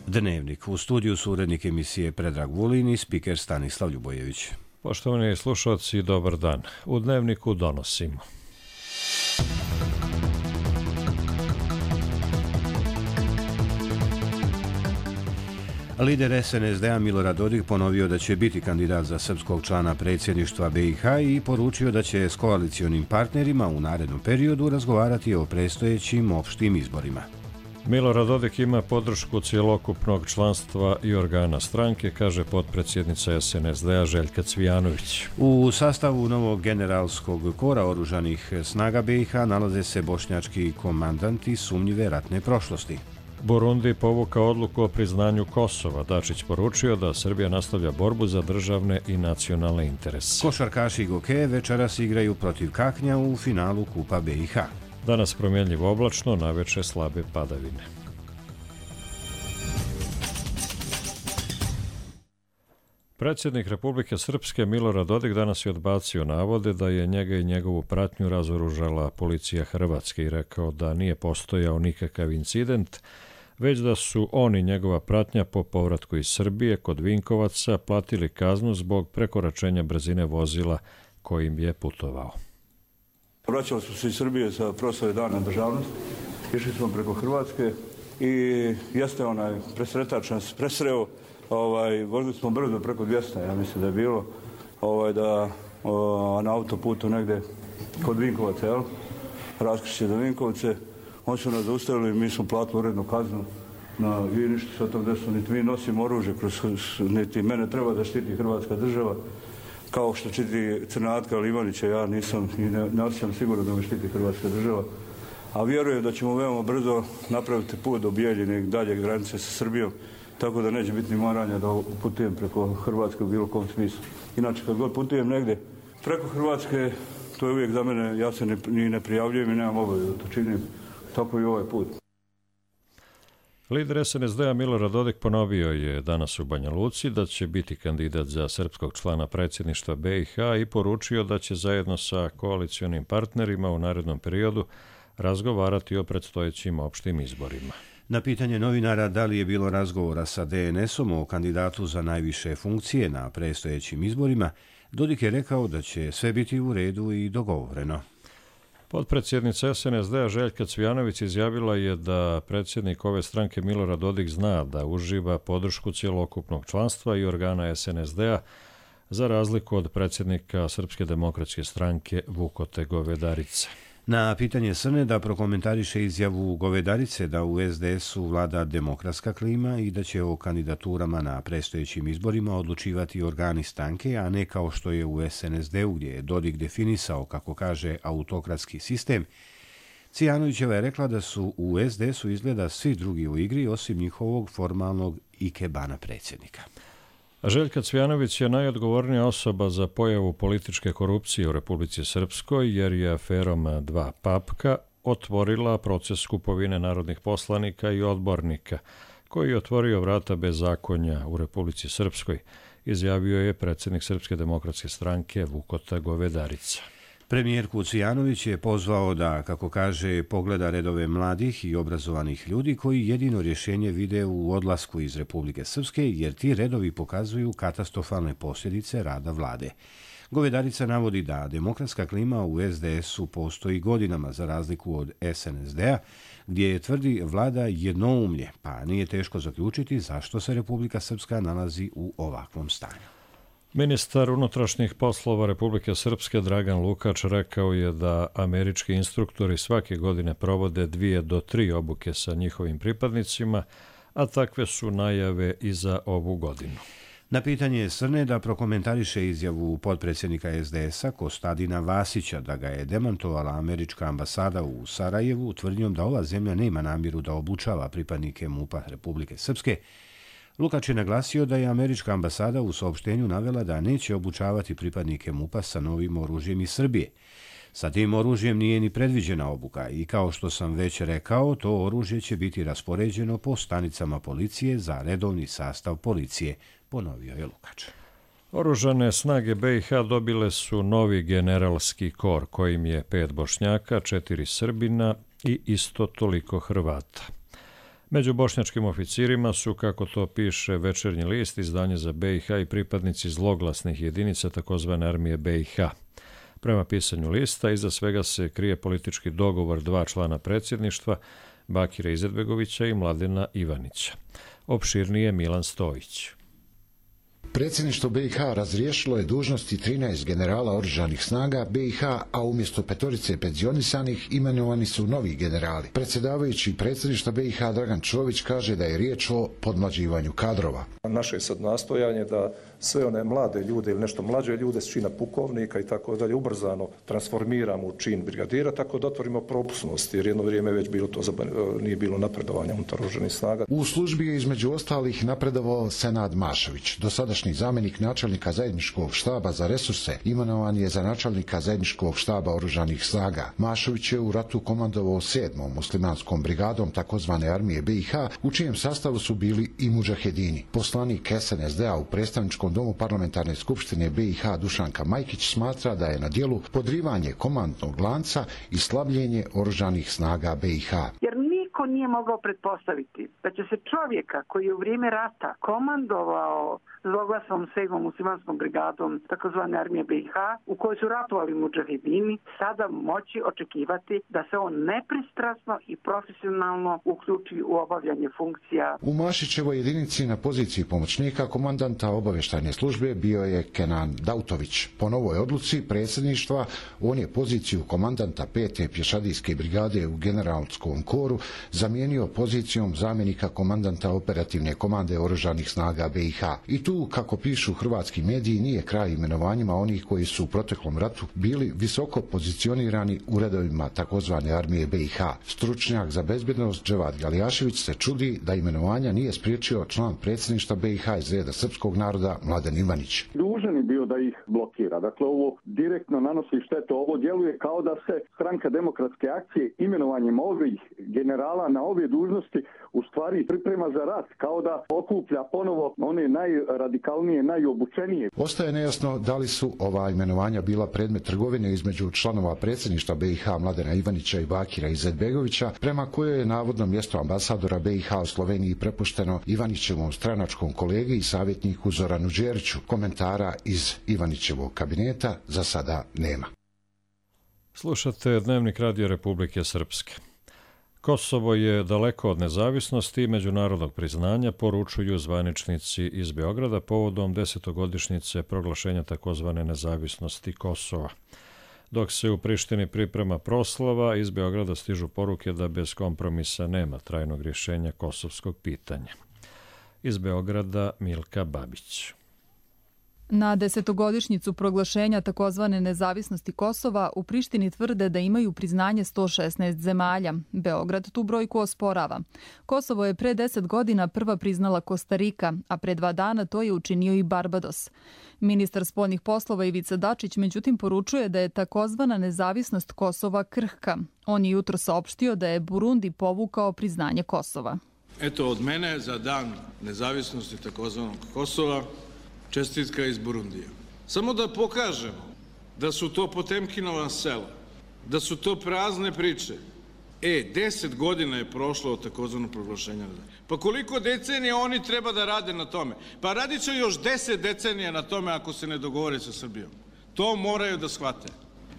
Dnevnik. U studiju su urednik emisije Predrag Vulin i spiker Stanislav Ljubojević. Poštovani slušalci, dobar dan. U Dnevniku donosimo. Lider SNSD-a Milorad Dodik ponovio da će biti kandidat za srpskog člana predsjedništva BiH i poručio da će s koalicionim partnerima u narednom periodu razgovarati o predstojećim opštim izborima. Milorad Dodik ima podršku cjelokupnog članstva i organa stranke, kaže potpredsjednica SNSD-a Željka Cvijanović. U sastavu novog generalskog kora oružanih snaga BiH nalaze se bošnjački komandanti sumnjive ratne prošlosti. Burundi povukao odluku o priznanju Kosova. Dačić poručio da Srbija nastavlja borbu za državne i nacionalne interese. Košarkaši Goke večeras igraju protiv Kaknja u finalu Kupa BiH. Danas promjenljivo oblačno, naveče slabe padavine. Predsjednik Republike Srpske Milorad Dodik danas je odbacio navode da je njega i njegovu pratnju razoružala policija Hrvatske i rekao da nije postojao nikakav incident, već da su on i njegova pratnja po povratku iz Srbije kod Vinkovaca platili kaznu zbog prekoračenja brzine vozila kojim je putovao. Vraćali smo se iz Srbije sa proslave Dana državnosti, išli smo preko Hrvatske i jeste onaj presretač nas presreo, vozili smo brzo preko 200, ja mislim da je bilo, na autoputu negde kod Vinkovaca, jel? Raskrižje do Vinkovce, oni su nas zaustavili, mi smo platili urednu kaznu, i ništa se o tom desilo, niti mi nosimo oružje, niti mene treba da štiti Hrvatska država, kao što štiti Crnatka ili Ivanića, ja nisam i ne osjećam sigurno da me štiti Hrvatska država. A vjerujem da ćemo veoma brzo napraviti put do Bijeljine i dalje granice sa Srbijom, tako da neće biti ni moranja da putujem preko Hrvatske u bilo kom smislu. Inače, kad god putujem negde preko Hrvatske, to je uvijek za mene, ja se ni ne prijavljujem i nemam obavezu da to činim, tako i ovaj put. Lider SNSD-a Milorad Dodik ponovio je danas u Banja Luci da će biti kandidat za srpskog člana predsjedništva BiH i poručio da će zajedno sa koalicionim partnerima u narednom periodu razgovarati o predstojećim opštim izborima. Na pitanje novinara da li je bilo razgovora sa DNS-om o kandidatu za najviše funkcije na predstojećim izborima, Dodik je rekao da će sve biti u redu i dogovoreno. Potpredsjednica SNSD-a Željka Cvijanović izjavila je da predsjednik ove stranke Milorad Dodik zna da uživa podršku cjelokupnog članstva i organa SNSD-a za razliku od predsjednika Srpske demokratske stranke Vukote Govedarice. Na pitanje Srne da prokomentariše izjavu Govedarice da u SDS-u vlada demokratska klima i da će o kandidaturama na predstojećim izborima odlučivati organi stranke, a ne kao što je u SNSD-u gdje je Dodik definisao, kako kaže, autokratski sistem, Cvijanovićeva je rekla da su u SDS-u izgleda svi drugi u igri osim njihovog formalnog ikebana predsjednika. Željka Cvijanović je najodgovornija osoba za pojavu političke korupcije u Republici Srpskoj jer je aferom Dva papka otvorila proces kupovine narodnih poslanika i odbornika, koji je otvorio vrata bezakonja u Republici Srpskoj, izjavio je predsjednik Srpske demokratske stranke Vukota Govedarica. Premijerku Cvijanović je pozvao da, kako kaže, pogleda redove mladih i obrazovanih ljudi koji jedino rješenje vide u odlasku iz Republike Srpske, jer ti redovi pokazuju katastrofalne posljedice rada vlade. Govedarica navodi da demokratska klima u SDS-u postoji godinama za razliku od SNSD-a, gdje je, tvrdi, vlada jednoumlje, pa nije teško zaključiti zašto se Republika Srpska nalazi u ovakvom stanju. Ministar unutrašnjih poslova Republike Srpske Dragan Lukač rekao je da američki instruktori svake godine provode 2 do 3 obuke sa njihovim pripadnicima, a takve su najave i za ovu godinu. Na pitanje Srne da prokomentariše izjavu potpredsjednika SDS-a Kostadina Vasića da ga je demantovala američka ambasada u Sarajevu tvrdnjom da ova zemlja nema namjeru da obučava pripadnike MUP-a Republike Srpske, Lukač je naglasio da je američka ambasada u saopštenju navela da neće obučavati pripadnike MUP-a sa novim oružjem iz Srbije. Sa tim oružjem nije ni predviđena obuka i kao što sam već rekao, to oružje će biti raspoređeno po stanicama policije za redovni sastav policije, ponovio je Lukač. Oružane snage BiH dobile su novi generalski kor kojim je 5 Bošnjaka, 4 Srbina i isto toliko Hrvata. Među bošnjačkim oficirima su, kako to piše Večernji list, izdanje za BiH i pripadnici zloglasnih jedinica takozvane armije BiH. Prema pisanju lista, iza svega se krije politički dogovor dva člana predsjedništva, Bakira Izetbegovića i Mladena Ivanića. Opširnije Milan Stojić. Predsjedništvo BiH razriješilo je dužnosti 13 generala oružanih snaga BiH, a umjesto 5 penzionisanih imenovani su novi generali. Predsjedavajući predsjedništva BiH Dragan Čović kaže da je riječ o podmlađivanju kadrova. Naše je sad nastojanje da sve one mlade ljude ili nešto mlađe ljude s čina pukovnika i tako dalje ubrzano transformiramo u čin brigadira, tako da otvorimo propusnost, jer jedno vrijeme već bilo to nije bilo napredovanja unutar oružanih snaga. U službi je između ostalih napredovao Senad Mašović, dosadašnji zamjenik načelnika zajedničkog štaba za resurse, imenovan je za načelnika zajedničkog štaba oružanih snaga. Mašović je u ratu komandovao 7. muslimanskom brigadom takozvane armije BiH, u čijem sastavu su bili i mudžahedini. Poslanik SNSD-a u predstavničkom domu parlamentarne skupštine BiH Dušanka Majkić smatra da je na djelu podrivanje komandnog lanca i slabljenje oružanih snaga BiH. Jer niko nije mogao pretpostaviti da će se čovjeka koji je u vrijeme rata komandovao zloglasnom 7. muslimanskom brigadom takozvane armije BiH, u kojoj su ratovali mudžahedini, sada moći očekivati da se on nepristrasno i profesionalno uključi u obavljanje funkcija. U Mašićevoj jedinici na poziciji pomoćnika komandanta obavještajne službe bio je Kenan Dautović. Po novoj odluci predsjedništva on je poziciju komandanta 5. pješadijske brigade u generalskom koru zamijenio pozicijom zamjenika komandanta operativne komande oružanih snaga BiH. I tu, kako pišu hrvatski mediji, nije kraj imenovanjima onih koji su u proteklom ratu bili visoko pozicionirani u redovima takozvane armije BiH. Stručnjak za bezbjednost Dževad Galjašević se čudi da imenovanja nije spriječio član predsjedništva BiH iz reda srpskog naroda Mladen Ivanić. Dužan je bio da ih blokira. Dakle, ovo direktno nanosi štetu. Ovo djeluje kao da se Stranka demokratske akcije imenovanjem ovih generala na ove dužnosti u stvari priprema za rat, kao da okuplja ponovo one najradikalnije, najobučenije. Ostaje nejasno da li su ova imenovanja bila predmet trgovine između članova predsjedništva BiH Mladena Ivanića i Bakira Izetbegovića, prema kojoj je navodno mjesto ambasadora BiH u Sloveniji prepušteno Ivanićevom stranačkom kolegi i savjetniku Zoranu Đeriću. Komentara iz Ivanićevog kabineta za sada nema. Slušate Dnevnik Radio Republike Srpske. Kosovo je daleko od nezavisnosti i međunarodnog priznanja, poručuju zvaničnici iz Beograda povodom 10-godišnjice proglašenja takozvane nezavisnosti Kosova. Dok se u Prištini priprema proslava, iz Beograda stižu poruke da bez kompromisa nema trajnog rješenja kosovskog pitanja. Iz Beograda Milka Babić. Na 10-godišnjicu proglašenja takozvane nezavisnosti Kosova u Prištini tvrde da imaju priznanje 116 zemalja. Beograd tu brojku osporava. Kosovo je pre 10 godina prva priznala Kostarika, a pre 2 dana to je učinio i Barbados. Ministar spoljnih poslova Ivica Dačić međutim poručuje da je takozvana nezavisnost Kosova krhka. On je jutro saopštio da je Burundi povukao priznanje Kosova. Eto od mene za dan nezavisnosti takozvanog Kosova čestitka iz Burundija. Samo da pokažemo da su to Potemkinova sela, da su to prazne priče. 10 godina je prošlo od takozvanog proglašenja. Pa koliko decenija oni treba da rade na tome? Pa radit će još 10 decenija na tome ako se ne dogovore sa Srbijom. To moraju da shvate.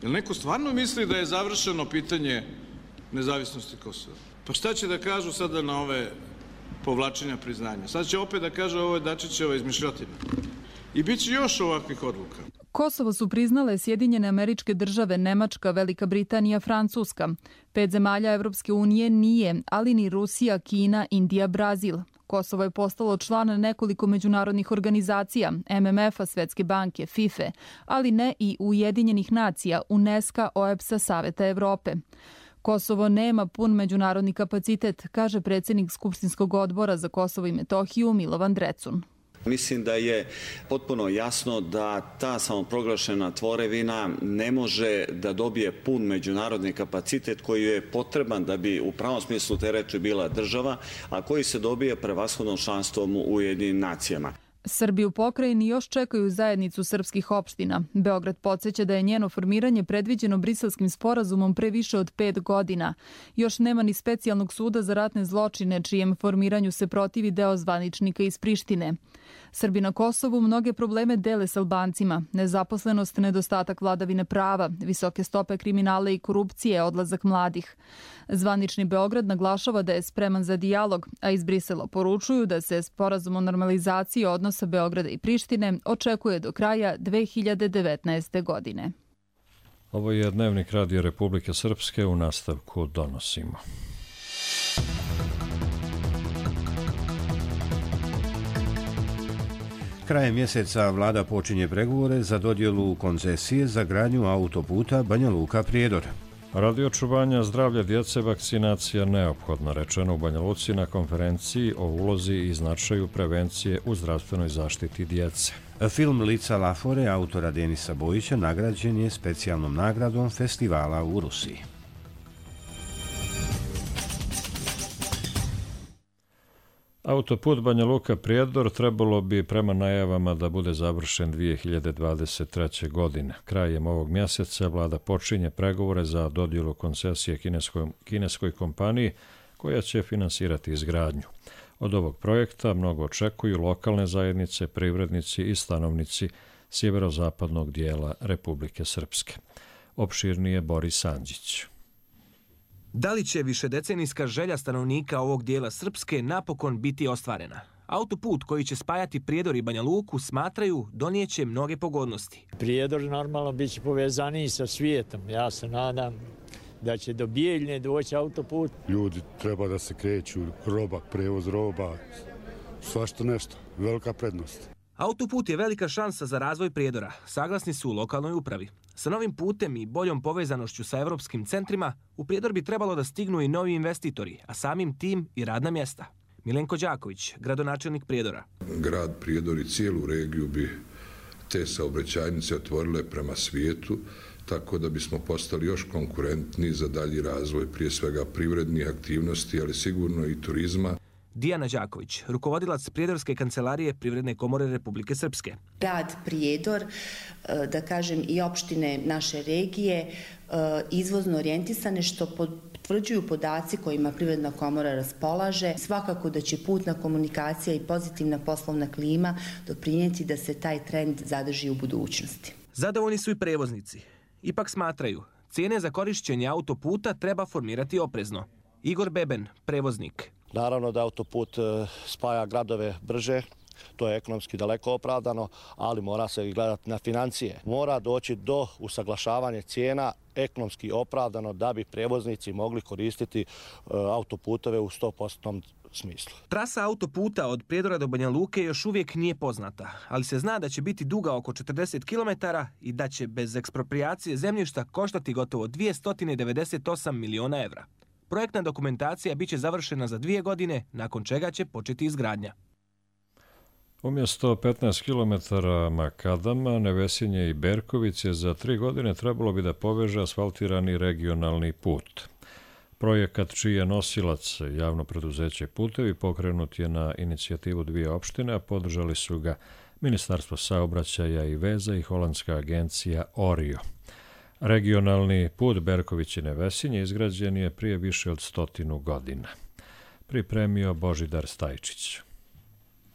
Jel neko stvarno misli da je završeno pitanje nezavisnosti Kosova? Pa šta će da kažu sada na ove povlačenja priznanja? Sad će opet da kaže ovo je Dačićeva izmišljotina. I bit će još ovakvih odluka. Kosovo su priznale Sjedinjene Američke Države, Nemačka, Velika Britanija, Francuska. 5 zemalja Evropske unije nije, ali ni Rusija, Kina, Indija, Brazil. Kosovo je postalo član nekoliko međunarodnih organizacija, MMF-a, Svetske banke, FIFA, ali ne i Ujedinjenih nacija, UNESCO, OEBS-a, Saveta Evrope. Kosovo nema pun međunarodni kapacitet, kaže predsjednik Skupštinskog odbora za Kosovo i Metohiju Milovan Drecun. Mislim da je potpuno jasno da ta samoproglašena tvorevina ne može da dobije pun međunarodni kapacitet koji je potreban da bi u pravom smislu te reči bila država, a koji se dobije prevashodnom članstvom u Ujedinjenim nacijama. Srbi u pokrajini još čekaju zajednicu srpskih opština. Beograd podsjeća da je njeno formiranje predviđeno Briselskim sporazumom pre više od 5 godina. Još nema ni specijalnog suda za ratne zločine, čijem formiranju se protivi deo zvaničnika iz Prištine. Srbi na Kosovu mnoge probleme dele s Albancima. Nezaposlenost, nedostatak vladavine prava, visoke stope kriminala i korupcije, odlazak mladih. Zvanični Beograd naglašava da je spreman za dijalog, a iz Brisela poručuju da se sporazum o normalizaciji odnosa Beograda i Prištine očekuje do kraja 2019. godine. Ovo je Dnevnik Radija Republike Srpske, u nastavku donosimo. Krajem mjeseca vlada počinje pregovore za dodjelu koncesije za gradnju autoputa Banja Luka-Prijedor. Radi očuvanja zdravlja djece vakcinacija neophodna, rečeno u Banja Luci na konferenciji o ulozi i značaju prevencije u zdravstvenoj zaštiti djece. Film Lica Lafore autora Denisa Bojića nagrađen je specijalnom nagradom festivala u Rusiji. Autoput Banja Luka-Prijedor trebalo bi prema najavama da bude završen 2023. godine. Krajem ovog mjeseca vlada počinje pregovore za dodjelu koncesije kineskoj kompaniji koja će finansirati izgradnju. Od ovog projekta mnogo očekuju lokalne zajednice, privrednici i stanovnici sjeverozapadnog dijela Republike Srpske. Opširnije Boris Andžić. Da li će višedecenijska želja stanovnika ovog dijela Srpske napokon biti ostvarena? Autoput koji će spajati Prijedor i Banja Luku smatraju donijeće mnoge pogodnosti. Prijedor normalno bit će povezaniji sa svijetom. Ja se nadam da će do Bijeljne doći autoput. Ljudi treba da se kreću, roba, prevoz roba, svašta nešto, velika prednost. Autoput je velika šansa za razvoj Prijedora, saglasni su u lokalnoj upravi. Sa novim putem i boljom povezanošću sa evropskim centrima, u Prijedor bi trebalo da stignu i novi investitori, a samim tim i radna mjesta. Milenko Đaković, gradonačelnik Prijedora. Grad Prijedor i cijelu regiju bi te saobraćajnice otvorile prema svijetu, tako da bismo postali još konkurentniji za dalji razvoj, prije svega privrednih aktivnosti, ali sigurno i turizma. Dijana Đaković, rukovodilac Prijedorske kancelarije Privredne komore Republike Srpske. Grad Prijedor, da kažem i opštine naše regije, izvozno orijentisane što potvrđuju podaci kojima Privredna komora raspolaže. Svakako da će putna komunikacija i pozitivna poslovna klima doprinijeti da se taj trend zadrži u budućnosti. Zadovoljni su i prevoznici. Ipak smatraju, cijene za korišćenje autoputa treba formirati oprezno. Igor Beben, prevoznik. Naravno da autoput spaja gradove brže, to je ekonomski daleko opravdano, ali mora se gledati na financije. Mora doći do usaglašavanja cijena ekonomski opravdano da bi prevoznici mogli koristiti autoputove u 100% smislu. Trasa autoputa od Prijedora do Banja Luke još uvijek nije poznata, ali se zna da će biti duga oko 40 km i da će bez eksproprijacije zemljišta koštati gotovo 298 miliona evra. Projektna dokumentacija biće završena za 2 godine, nakon čega će početi izgradnja. Umjesto 15 km makadama, Nevesinje i Berkovice za 3 godine trebalo bi da poveže asfaltirani regionalni put. Projekat čiji je nosilac javno preduzeće Putevi pokrenut je na inicijativu 2 opštine, a podržali su ga Ministarstvo saobraćaja i veza i holandska agencija Orio. Regionalni put Berković-Nevesinje izgrađen je prije više od 100 godina. Pripremio Božidar Stajčić.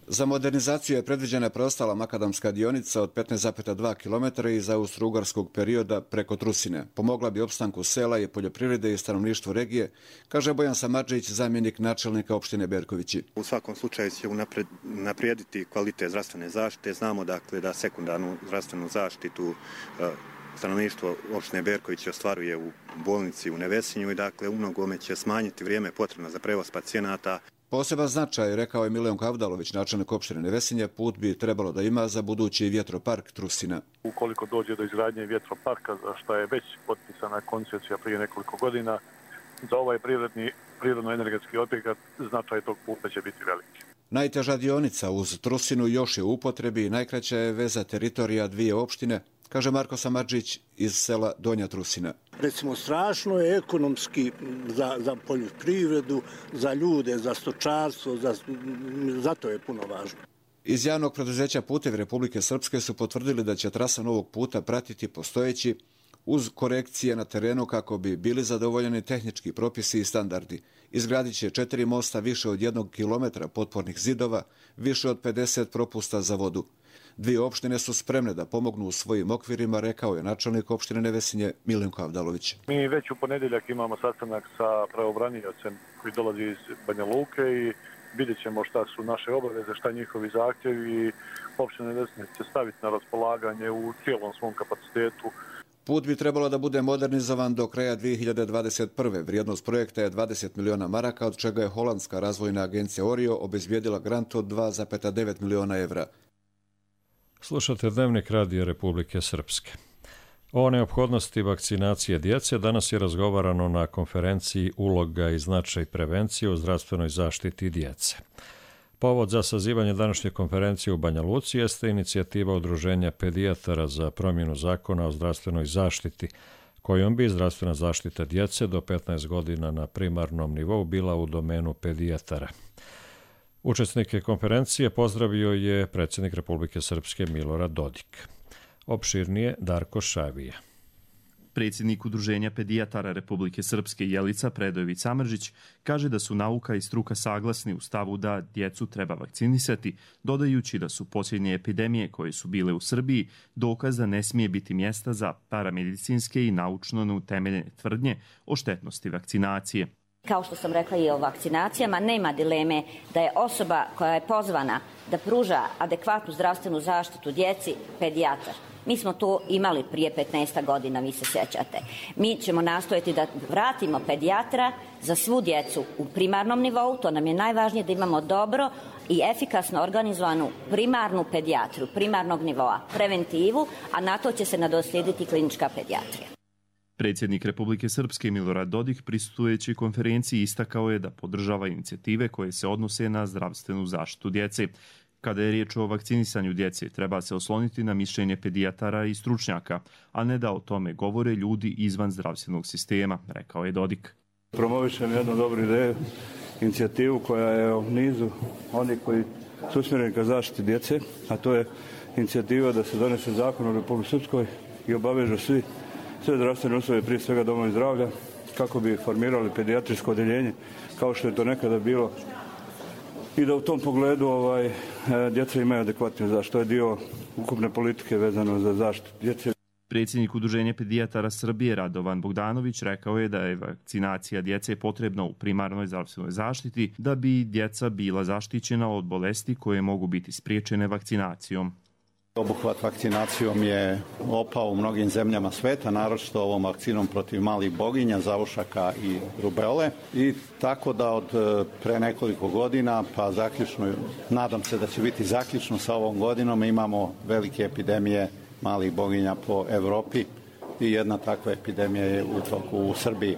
Za modernizaciju je predviđena preostala makadamska dionica od 15,2 km iz austro-ugarskog perioda preko Trusine. Pomogla bi opstanku sela i poljoprivrede i stanovništvu regije, kaže Bojan Samardžić, zamjenik načelnika opštine Berkovići. U svakom slučaju će naprijediti kvalitet zdravstvene zaštite. Znamo dakle da sekundarnu zdravstvenu zaštitu stanovništvo opštine Berković ostvaruje u bolnici u Nevesinju i dakle u mnogome će smanjiti vrijeme potrebno za prevoz pacijenata. Poseban značaj, rekao je Milenko Avdalović, načelnik opštine Nevesinje, put bi trebalo da ima za budući vjetropark Trusina. Ukoliko dođe do izgradnje vjetroparka, za što je već potpisana koncesija prije nekoliko godina, za ovaj prirodno-energetski objekat značaj tog puta će biti veliki. Najteža dionica uz Trusinu još je u upotrebi i najkraća je veza teritorija 2 opštine, kaže Marko Samardžić iz sela Donja Trusina. Recimo, strašno je ekonomski za poljoprivredu, za ljude, za stočarstvo, zato je puno važno. Iz javnog preduzeća Putevi Republike Srpske su potvrdili da će trasa novog puta pratiti postojeći uz korekcije na terenu kako bi bili zadovoljeni tehnički propisi i standardi. Izgradit će 4 mosta, više od 1 kilometra potpornih zidova, više od 50 propusta za vodu. 2 opštine su spremne da pomognu u svojim okvirima, rekao je načelnik opštine Nevesinje Milenko Avdalović. Mi već u ponedjeljak imamo sastanak sa pravobraniocem koji dolazi iz Banja Luke i vidjet ćemo šta su naše obaveze, šta njihovi zahtjevi i opština Nevesinje će staviti na raspolaganje u cijelom svom kapacitetu. Put bi trebalo da bude modernizovan do kraja 2021. Vrijednost projekta je 20 miliona maraka, od čega je holandska razvojna agencija Orio obezbijedila grant od 2,9 miliona evra. Slušate Dnevnik Radija Republike Srpske. O neophodnosti vakcinacije djece danas je razgovarano na konferenciji Uloga i značaj prevencije u zdravstvenoj zaštiti djece. Povod za sazivanje današnje konferencije u Banja Luci jeste inicijativa Udruženja pedijatara za promjenu zakona o zdravstvenoj zaštiti, kojom bi zdravstvena zaštita djece do 15 godina na primarnom nivou bila u domenu pedijatara. Učesnike konferencije pozdravio je predsjednik Republike Srpske Milorad Dodik. Opširnije Darko Šavija. Predsjednik Udruženja pedijatara Republike Srpske Jelica Predojević Samržić kaže da su nauka i struka saglasni u stavu da djecu treba vakcinisati, dodajući da su posljednje epidemije koje su bile u Srbiji dokaz da ne smije biti mjesta za paramedicinske i naučno neutemeljene tvrdnje o štetnosti vakcinacije. Kao što sam rekla i o vakcinacijama, nema dileme da je osoba koja je pozvana da pruža adekvatnu zdravstvenu zaštitu djeci pedijatar. Mi smo to imali prije 15 godina, vi se sjećate. Mi ćemo nastojati da vratimo pedijatra za svu djecu u primarnom nivou. To nam je najvažnije, da imamo dobro i efikasno organizovanu primarnu pedijatru, primarnog nivoa, preventivu, a na to će se nadoslijediti klinička pedijatrija. Predsjednik Republike Srpske Milorad Dodik prisustujući konferenciji istakao je da podržava inicijative koje se odnose na zdravstvenu zaštitu djece. Kada je riječ o vakcinisanju djece, treba se osloniti na mišljenje pedijatara i stručnjaka, a ne da o tome govore ljudi izvan zdravstvenog sistema, rekao je Dodik. Promovišem jednu dobru ideju, inicijativu koja je u nizu onih koji su usmjereni ka zaštiti djece, a to je inicijativa da se donese zakon u Republike Srpskoj i obavežu sve zdravstvene uslove, prije svega domovi zdravlja, kako bi formirali pedijatrijsko odjeljenje, kao što je to nekada bilo, i da u tom pogledu djeca imaju adekvatnu zaštitu. To je dio ukupne politike vezano za zaštitu djece. Predsjednik Udruženja pedijatara Srbije Radovan Bogdanović rekao je da je vakcinacija djece potrebna u primarnoj zdravstvenoj zaštiti da bi djeca bila zaštićena od bolesti koje mogu biti spriječene vakcinacijom. Obuhvat vakcinacijom je opao u mnogim zemljama sveta, naročito ovom vakcinom protiv malih boginja, zavušaka i rubele. I tako da od pre nekoliko godina, pa zaključno, nadam se da će biti zaključno sa ovom godinom, imamo velike epidemije malih boginja po Evropi i jedna takva epidemija je u toku u Srbiji.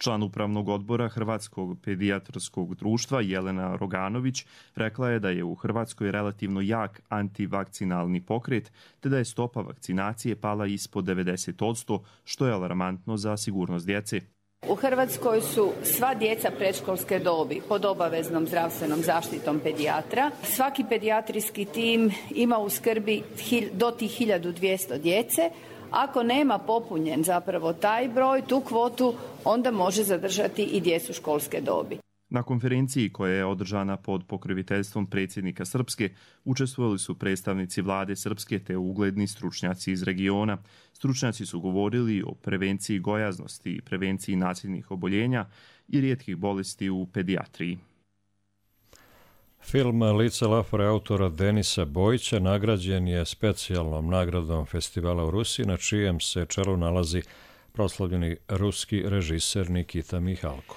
Član upravnog odbora Hrvatskog pedijatarskog društva Jelena Roganović rekla je da je u Hrvatskoj relativno jak antivakcinalni pokret, te da je stopa vakcinacije pala ispod 90%, što je alarmantno za sigurnost djece. U Hrvatskoj su sva djeca predškolske dobi pod obaveznom zdravstvenom zaštitom pedijatra. Svaki pedijatrijski tim ima u skrbi do tih 1200 djece. Ako nema popunjen zapravo taj broj, tu kvotu, onda može zadržati i djecu školske dobi. Na konferenciji koja je održana pod pokroviteljstvom predsjednika Srpske učestvovali su predstavnici vlade Srpske te ugledni stručnjaci iz regiona. Stručnjaci su govorili o prevenciji gojaznosti i prevenciji nasilnih oboljenja i rijetkih bolesti u pedijatriji. Film Lice Lafore autora Denisa Bojića nagrađen je specijalnom nagradom festivala u Rusiji, na čijem se čelu nalazi proslavljeni ruski režiser Nikita Mihalkov.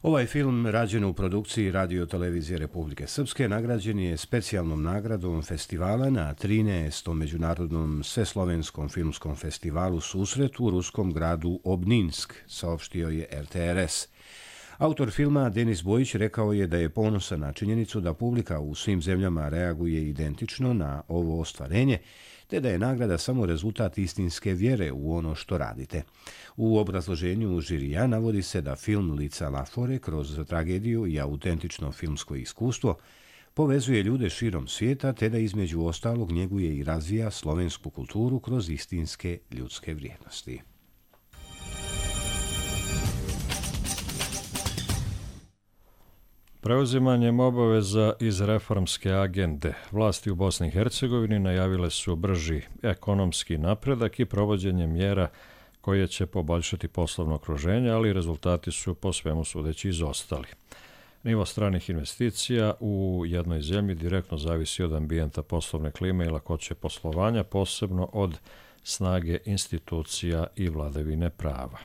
Ovaj film, rađen u produkciji Radio televizije Republike Srpske, nagrađen je specijalnom nagradom festivala na 13. međunarodnom sveslovenskom filmskom festivalu Susret u ruskom gradu Obninsk, saopštio je RTRS. Autor filma Denis Bojić rekao je da je ponosan na činjenicu da publika u svim zemljama reaguje identično na ovo ostvarenje, te da je nagrada samo rezultat istinske vjere u ono što radite. U obrazloženju žirija navodi se da film Lica Lafore kroz tragediju i autentično filmsko iskustvo povezuje ljude širom svijeta te da između ostalog njeguje i razvija slovensku kulturu kroz istinske ljudske vrijednosti. Preuzimanjem obaveza iz reformske agende vlasti u Bosni i Hercegovini najavile su brži ekonomski napredak i provođenje mjera koje će poboljšati poslovno okruženje, ali rezultati su po svemu sudeći izostali. Nivo stranih investicija u jednoj zemlji direktno zavisi od ambijenta poslovne klime i lakoće poslovanja, posebno od snage institucija i vladavine prava.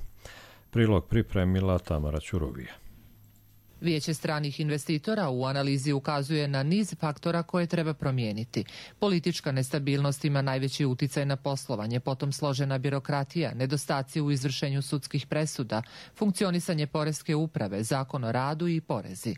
Prilog pripremila Tamara Ćuruvija. Vijeće stranih investitora u analizi ukazuje na niz faktora koje treba promijeniti. Politička nestabilnost ima najveći uticaj na poslovanje, potom složena birokratija, nedostaci u izvršenju sudskih presuda, funkcionisanje poreske uprave, zakon o radu i porezi.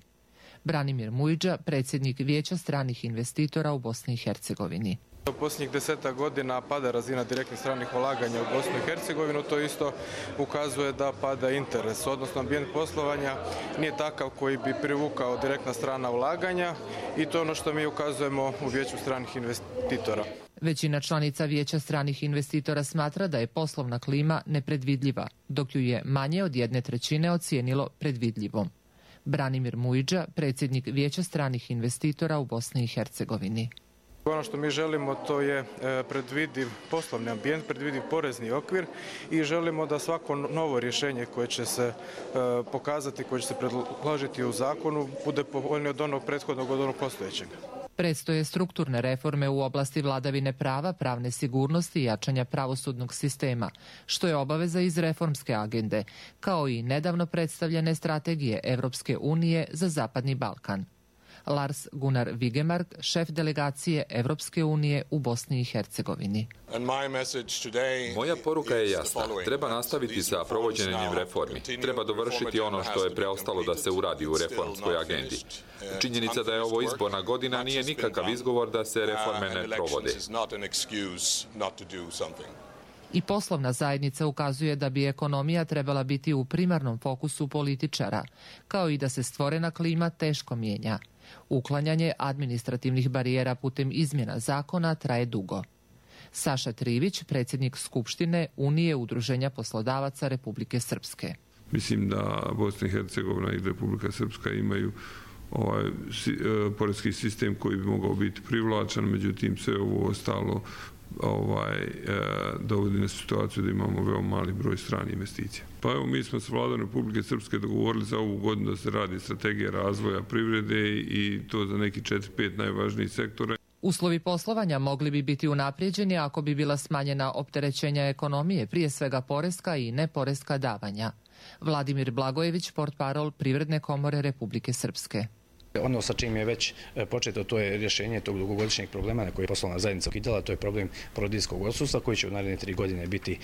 Branimir Mujđa, predsjednik Vijeća stranih investitora u Bosni i Hercegovini. U posljednjih 10 godina pada razina direktnih stranih ulaganja u Bosnu i Hercegovinu, to isto ukazuje da pada interes, odnosno ambijent poslovanja nije takav koji bi privukao direktna strana ulaganja i to je ono što mi ukazujemo u Vijeću stranih investitora. Većina članica Vijeća stranih investitora smatra da je poslovna klima nepredvidljiva, dok ju je manje od 1/3 ocijenilo predvidljivom. Branimir Mujđa, predsjednik Vijeća stranih investitora u Bosni i Hercegovini. Ono što mi želimo to je predvidiv poslovni ambijent, predvidiv porezni okvir i želimo da svako novo rješenje koje će se pokazati, koje će se predložiti u zakonu bude povoljnije od onog prethodnog, od onog postojećeg. Predstoje strukturne reforme u oblasti vladavine prava, pravne sigurnosti i jačanja pravosudnog sistema, što je obaveza iz reformske agende, kao i nedavno predstavljene strategije Evropske unije za Zapadni Balkan. Lars Gunnar Vigemark, šef delegacije Evropske unije u Bosni i Hercegovini. Moja poruka je jasna. Treba nastaviti sa provođenjem reformi. Treba dovršiti ono što je preostalo da se uradi u reformskoj agendi. Činjenica da je ovo izborna godina nije nikakav izgovor da se reforme ne provode. I poslovna zajednica ukazuje da bi ekonomija trebala biti u primarnom fokusu političara, kao i da se stvorena klima teško mijenja. Uklanjanje administrativnih barijera putem izmjena zakona traje dugo. Saša Trivić, predsjednik Skupštine Unije udruženja poslodavaca Republike Srpske. Mislim da Bosna i Hercegovina i Republika Srpska imaju poreski sistem koji bi mogao biti privlačan, međutim sve ovo ostalo dovodi na situaciju da imamo veoma mali broj stranih investicija. Pa evo, mi smo s vladom Republike Srpske dogovorili za ovu godinu da se radi strategija razvoja privrede i to za neki 4-5 najvažnijih sektora. Uslovi poslovanja mogli bi biti unaprijeđeni ako bi bila smanjena opterećenja ekonomije, prije svega poreska i neporeska davanja. Vladimir Blagojević, portparol Privredne komore Republike Srpske. Ono sa čim je već početo, to je rješenje tog dugogodišnjeg problema na koji je poslovna zajednica ukidala, to je problem porodiljskog odsustva koji će u naredne 3 godine biti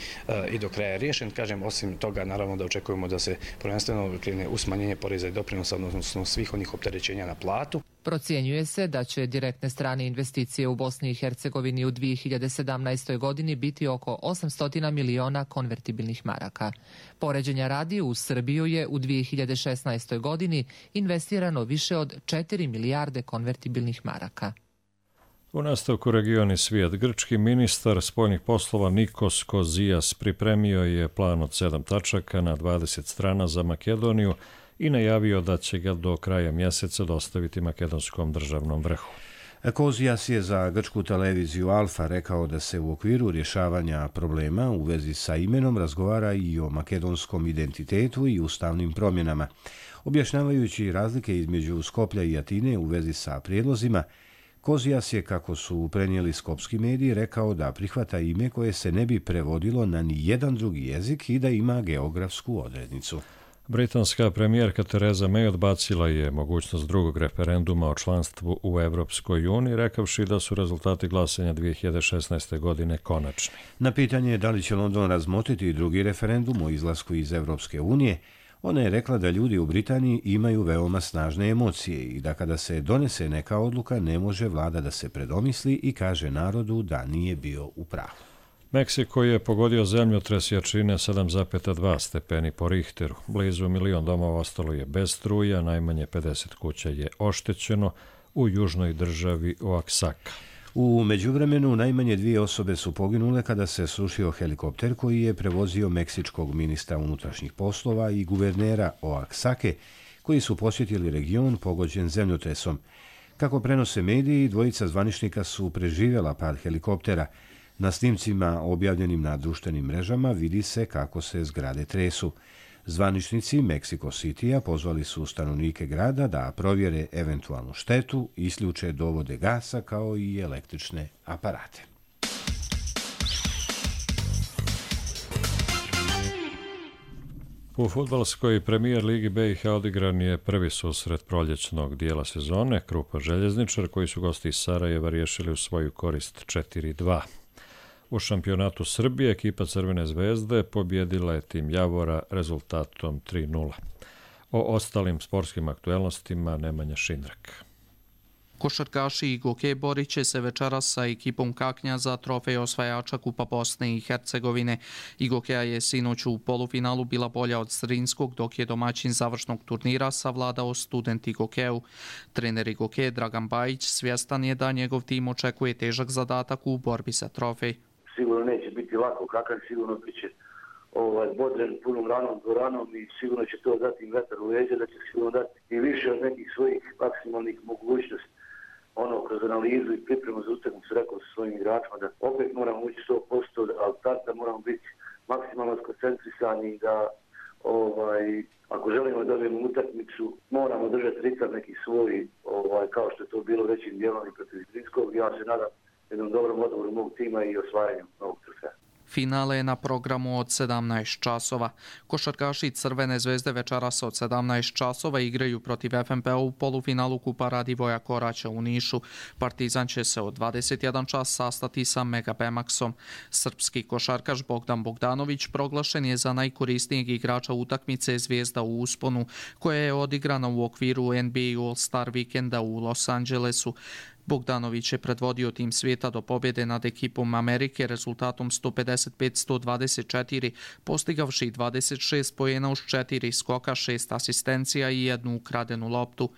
i do kraja riješen. Kažem, osim toga, naravno da očekujemo da se prvenstveno krene u smanjenje poreza i doprinosa, odnosno svih onih opterećenja na platu. Procjenjuje se da će direktne strane investicije u Bosni i Hercegovini u 2017. godini biti oko 800 miliona konvertibilnih maraka. Poređenja radi, u Srbiju je u 2016. godini investirano više od 4 milijarde konvertibilnih maraka. U nastavku regioni svijet, grčki ministar spoljnih poslova Nikos Kozijas pripremio je plan od 7 tačaka na 20 strana za Makedoniju i najavio da će ga do kraja mjeseca dostaviti makedonskom državnom vrhu. Kozijas je za grčku televiziju Alfa rekao da se u okviru rješavanja problema u vezi sa imenom razgovara i o makedonskom identitetu i ustavnim promjenama. Objašnjavajući razlike između Skoplja i Atine u vezi sa prijedlozima, Kozijas je, kako su prenijeli skopski mediji, rekao da prihvata ime koje se ne bi prevodilo na ni jedan drugi jezik i da ima geografsku odrednicu. Britanska premijerka Theresa May odbacila je mogućnost drugog referenduma o članstvu u Evropskoj uniji, rekavši da su rezultati glasanja 2016. godine konačni. Na pitanje da li će London razmotriti drugi referendum o izlasku iz Evropske unije, ona je rekla da ljudi u Britaniji imaju veoma snažne emocije i da kada se donese neka odluka ne može vlada da se predomisli i kaže narodu da nije bio u pravu. Meksiko je pogodio zemljotres jačine 7,2 stepeni po Richteru. Blizu 1 milion domova ostalo je bez struje, najmanje 50 kuća je oštećeno. u južnoj državi Oaxaca. U međuvremenu najmanje 2 osobe su poginule kada se srušio helikopter koji je prevozio meksičkog ministra unutrašnjih poslova i guvernera Oaxace, koji su posjetili region pogođen zemljotresom. Kako prenose mediji, 2 zvaničnika su preživjela pad helikoptera. Na snimcima objavljenim na društvenim mrežama vidi se kako se zgrade tresu. Zvaničnici Mexico City-a pozvali su stanovnike grada da provjere eventualnu štetu, isključe dovode gasa kao i električne aparate. U fudbalskoj premijer Ligi BiH odigran je prvi susret proljećnog dijela sezone. Krupa Željezničar, koji su gosti iz Sarajeva riješili u svoju korist 4-2. U šampionatu Srbije ekipa Crvene zvezde pobjedila je tim Javora rezultatom 3-0. O ostalim sportskim aktuelnostima Nemanja Šindrak. Košarkaši Igoke borit će se večeras sa ekipom Kaknja za trofej osvajača Kupa Bosne i Hercegovine. Igokea je sinoć u polufinalu bila bolja od Zrinskog, dok je domaćin završnog turnira savladao Student Igokeu. Trener Igoke Dragan Bajić svjestan je da njegov tim očekuje težak zadatak u borbi za trofej. Sigurno neće biti lako, kakav sigurno biće bodren punom ranom dvoranom i sigurno će to dati im vetar u leđa, da će sigurno dati i više od nekih svojih maksimalnih mogućnosti. Kroz analizu i pripremu za utakmicu rekao sa svojim igračima da opet moramo ući 100%, ali tad da moramo biti maksimalno skoncentrisani i da ako želimo da dobijemo utakmicu, moramo držati ritam neki svoj, kao što je to bilo većim dijelom i protiv Zrinskog. Ja se nadam jednom dobrom odgovoru mog tima i osvajanju novog trofeja. Finale je na programu od 17 časova. Košarkaši Crvene zvezde večeras od 17 časova igraju protiv FNP-a u polufinalu Kupa Radivoja Koraća u Nišu. Partizan će se od 21 čas sastati sa Mega Bemaxom. Srpski košarkaš Bogdan Bogdanović proglašen je za najkorisnijeg igrača utakmice Zvijezda u usponu, koja je odigrana u okviru NBA All-Star vikenda u Los Angelesu. Bogdanović je predvodio tim svijeta do pobjede nad ekipom Amerike rezultatom 155-124, postigavši 26 poena uz 4 skoka, 6 asistencija i 1 ukradenu loptu.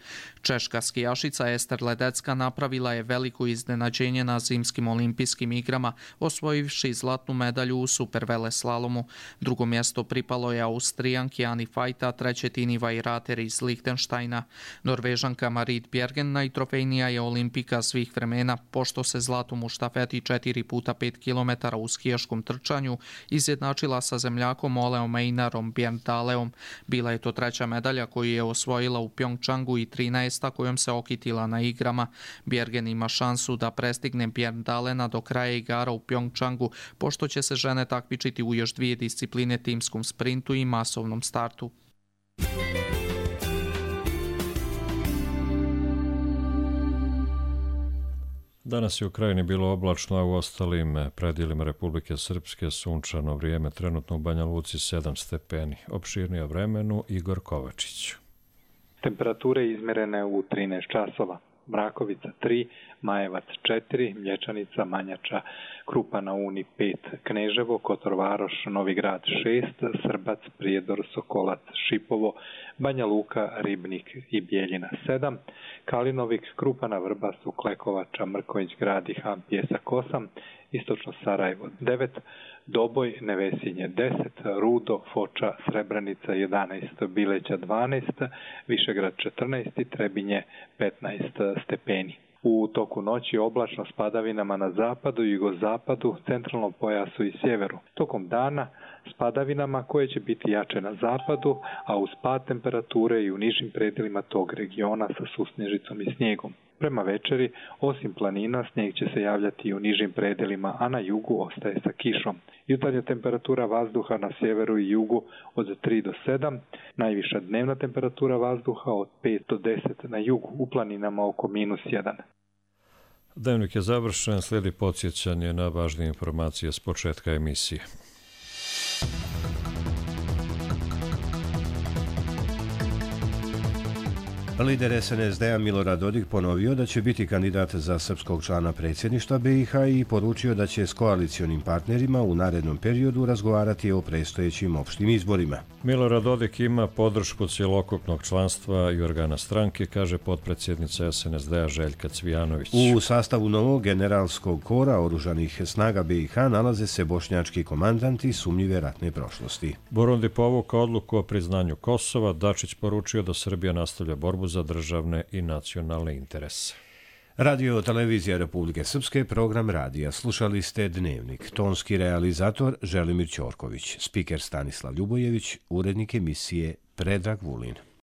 Češka skijašica Ester Ledecka napravila je veliko iznenađenje na zimskim olimpijskim igrama, osvojivši zlatnu medalju u superveleslalomu. Drugo mjesto pripalo je Austrijanki Ani Fajta, treće Tini Vajrater iz Lihtenštajna. Norvežanka Marit Bjergen najtrofejnija je olimpika svih vremena, pošto se zlatom u štafeti 4 puta 5 km u skijaškom trčanju izjednačila sa zemljakom Oleom Einarom Bjerndaleom. Bila je to treća medalja koju je osvojila u Pjongčangu i 13. kojom se okitila na igrama. Bjergen ima šansu da prestigne Bjerndalena do kraja igara u Pjongčangu, pošto će se žene takmičiti u još 2 discipline, timskom sprintu i masovnom startu. Danas je u krajini bilo oblačno, a u ostalim predjelima Republike Srpske sunčano vrijeme, trenutno u Banja Luci 7 stepeni. Opširnije o vremenu Igor Kovačić. Temperature izmerene u 13 časova. Mrakovica 3, Majevac 4, Mlječanica, Manjača, Krupa na Uni 5, Kneževo, Kotor Varoš, Novi Grad 6, Srbac, Prijedor, Sokolac, Šipovo, Banja Luka, Ribnik i Bijeljina 7, Kalinovik, Krupana, Vrbasu, Klekovača, Mrković Grad i Ham Pjesak 8, Istočno Sarajevo 9, Doboj, Nevesinje 10, Rudo, Foča, Srebrenica 11, Bileća 12, Višegrad 14 i Trebinje 15 stepeni. U toku noći oblačno s padavinama na zapadu, jugozapadu, centralnom pojasu i sjeveru. Tokom dana s padavinama koje će biti jače na zapadu, a uz pad temperature i u nižim predjelima tog regiona sa susnježicom i snijegom. Prema večeri, osim planina, snijeg će se javljati i u nižim predjelima, a na jugu ostaje sa kišom. Jutarnja temperatura vazduha na sjeveru i jugu od 3 do 7, najviša dnevna temperatura vazduha od 5 do 10 na jugu, u planinama oko -1. Dnevnik je završen, slijedi podsjećanje na važnije informacije s početka emisije. Lider SNSD-a Milorad Dodik ponovio da će biti kandidat za srpskog člana predsjedništva BiH i poručio da će s koalicionim partnerima u narednom periodu razgovarati o predstojećim opštim izborima. Milorad Dodik ima podršku cjelokupnog članstva i organa stranke, kaže potpredsjednica SNSD-a Željka Cvijanović. U sastavu novog generalskog kora oružanih snaga BiH nalaze se bošnjački komandanti sumnjive ratne prošlosti. Burundi povukao odluku o priznanju Kosova, Dačić poručio da Srbija nastavlja borbu za državne i nacionalne interese. Radio televizija Republike Srpske, program radija. Slušali ste Dnevnik. Tonski realizator Želimir Ćorković, spiker Stanislav Ljubojević, urednik emisije Predrag Vulin.